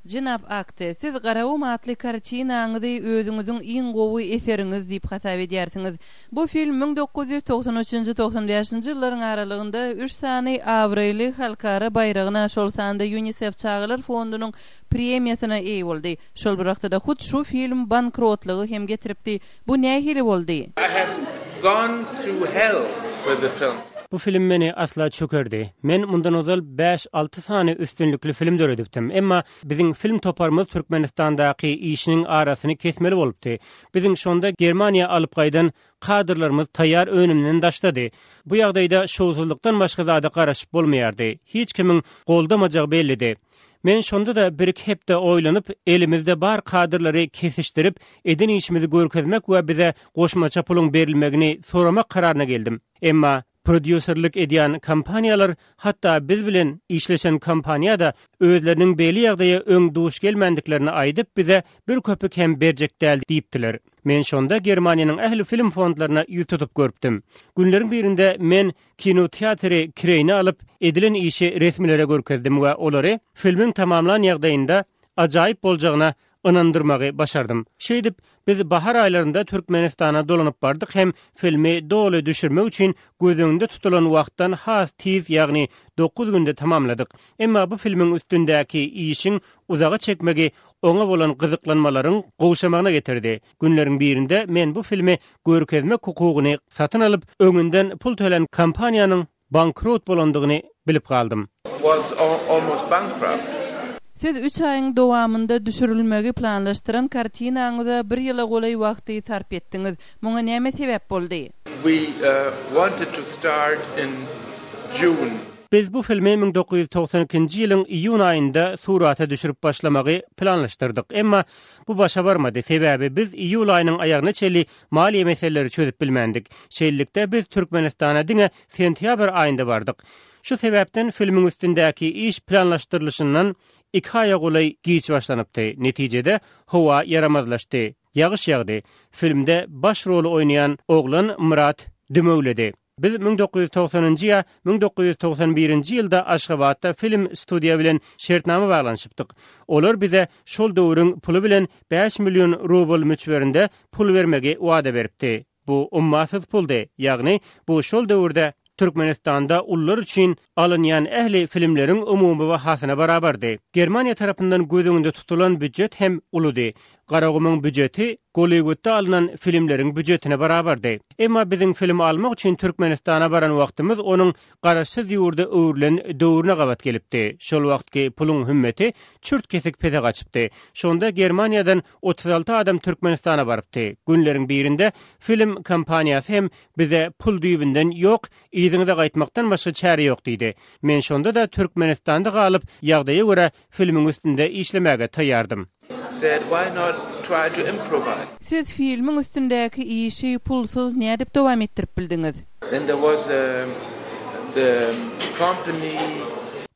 Jenap Akte, siz Garagum atly kartinaňyzy özüňiziň iň gowy eseriňiz diýip hasap edýärsiňiz. Bu film 1993 üçünji, 95 nji ýyllaryň aralygynda üç sany abraýly halkara baýragyna, şol sanda Ýunisef çagalar fondunyň premiýasyna eýe boldy. Şol bir wagtda-da hut şu film bankrotlyga hem getiripdi. Bu nähili boldy? I have gone through hell with the film. Bu film meni asla çökerdi. Men mundan ozal bäş-alty sany üstünlikli film döredipdim. Emma biziň film toparymyz Türkmenistandaky işiniň arasyny kesmeli bolupdy. Biziň şonda Germaniýa alyp gaýdan kadrlarymyz taýýar önümden daşdady. Bu ýagdaýda şowsuzlykdan başga zada garaşyp bolmaýardy. Hiç kimiň goldamajagy bellidi. Men şonda-da birki hepde oýlanyp, elimizde bar kadrlary kesişdirip, eden işimizi görkezmek we bize goşmaça puluň berilmegini soramak kararyna geldim. Emma prodýuserlik edýän kompaniýalar, hatda biz bilen işleşen kompaniýa-da özleriniň beýle ýagdaýa öň duş gelmändiklerini aýdyp, bize bir köpük hem berjek däl diýipdiler. Men şonda Germaniýanyň ähli film fondlaryna ýüz tutup görüpdim. Günleriň birinde men kinoteatry kireýine alyp, edilen işi resmilere görkezdim we olary filmiň tamamlan ýagdaýynda ajaýyp boljagyna ynandyrmagy başardym. Şeýdip, biz bahar aýlarynda Türkmenistana dolanyp bardyk hem filmi doly düşürmek üçin göz öňünde tutulan wagtdan has tiz, ýagny dokuz günde tamamladyk. Emma bu filmiň üstündäki işiň uzaga çekmegi oňa bolan gyzyklanmalaryň gowşamagyna getirdi. Günleriň birinde men bu filmi görkezmek hukugyny satyn alyp, öňünden pul tölän kompaniýanyň bankrot bolandygyny bilip galdym. Was almost bankrupt. Siz üç aýyň dowamynda düşürilmegi planlaşdyran kartinaňyza bir ýyla golaý wagty sarp etdiňiz. Muňa näme sebäp boldy? We wanted to start in June. Biz bu filmi 1992-nji ýylyň iýun aýynda surata düşürip başlamagy planlaşdyrdyk. Emma bu başa barmady, sebäbi biz iýul aýynyň aýagyna çenli maliýe meseleleri çözüp bilmändik. Şeýlelikde, biz Türkmenistana diňe sentýabr aýynda bardyk. Şu sebäpden filmiň üstündäki iş planlaşdyrylyşyndan iki aýa golaý giç başlanypdy. Netijede, howa ýaramazlaşdy. Ýagyş ýagdy. Filmde baş roly oýnaýan oglan Myrat dümewledi. Biz 1990-njy ýa 1991-nji ýylda Aşgabatda film studiýa bilen şertnama baglanyşypdyk. Olar bize şol döwrüň puly bilen bäş million rubl möçberinde pul bermegi wada beripdi. Bu ummasyz puldy, ýagny bu şol döwürde Türkmenistanda ulular üçin alynýan ähli filmleriň umumy bahasyna barabardy. Germaniýa tarapyndan göz öňünde tutulan býujet hem uludy. Garagumuň býujeti Golliwudda alnan filmleriň býujetine barabardy. Emma biziň film almak üçin Türkmenistana baran wagtymyz onuň garaşsyz ýurda öwrülen döwrüne gabat gelipdi. Şol wagtky puluň hümmeti çürt-kesik pese gaçypdy. Şonda Germaniýadan 36 adam Türkmenistana barypdy. Günleriň birinde film kompaniýasy hem bize pul düýbünden ýok, yzyňyza gaýtmakdan başga çäre ýok diýdi. Men şonda-da Türkmenistanda galyp, ýagdaýa görä filmiň üstünde işlemäge taýýardym. Said, Why not try to improvise? Siz filmiň üstündäki işi pulsuz nädip dowam etdirip bildiňiz? Then there was the company.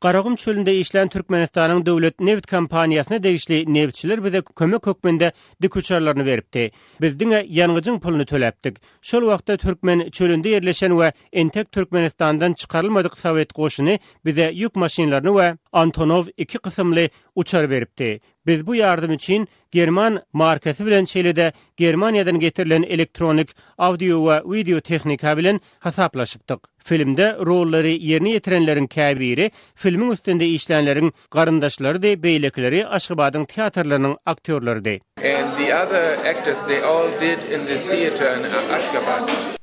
Garagum çölünde işlän Türkmenistanyň döwlet nebit kompaniýasyna degişli nebitçiler bize kömek hökmünde dikuçarlaryny beripdi. Biz diňe ýangyjyň puluny töläpdik. Şol wagtda türkmen çölünde ýerleşen we entek Türkmenistandan çykarylmadyk sowet goşuny bize ýük maşynlaryny we Antonow iki kysymly uçar beripdi. Biz bu ýardam üçin german markasy bilen şeýle-de Germaniýadan getirilen elektronik, audio we wideo tehnika bilen hasaplaşypdyk. Filmde rollary ýerine ýetirenleriň käbiri filmiň üstünde işlänleriň garyndaşlarydy, beýlekileri Aşgabadyň teatrlarynyň aktýorlarydy. And the other actors they all did in the theater in Ashgabat.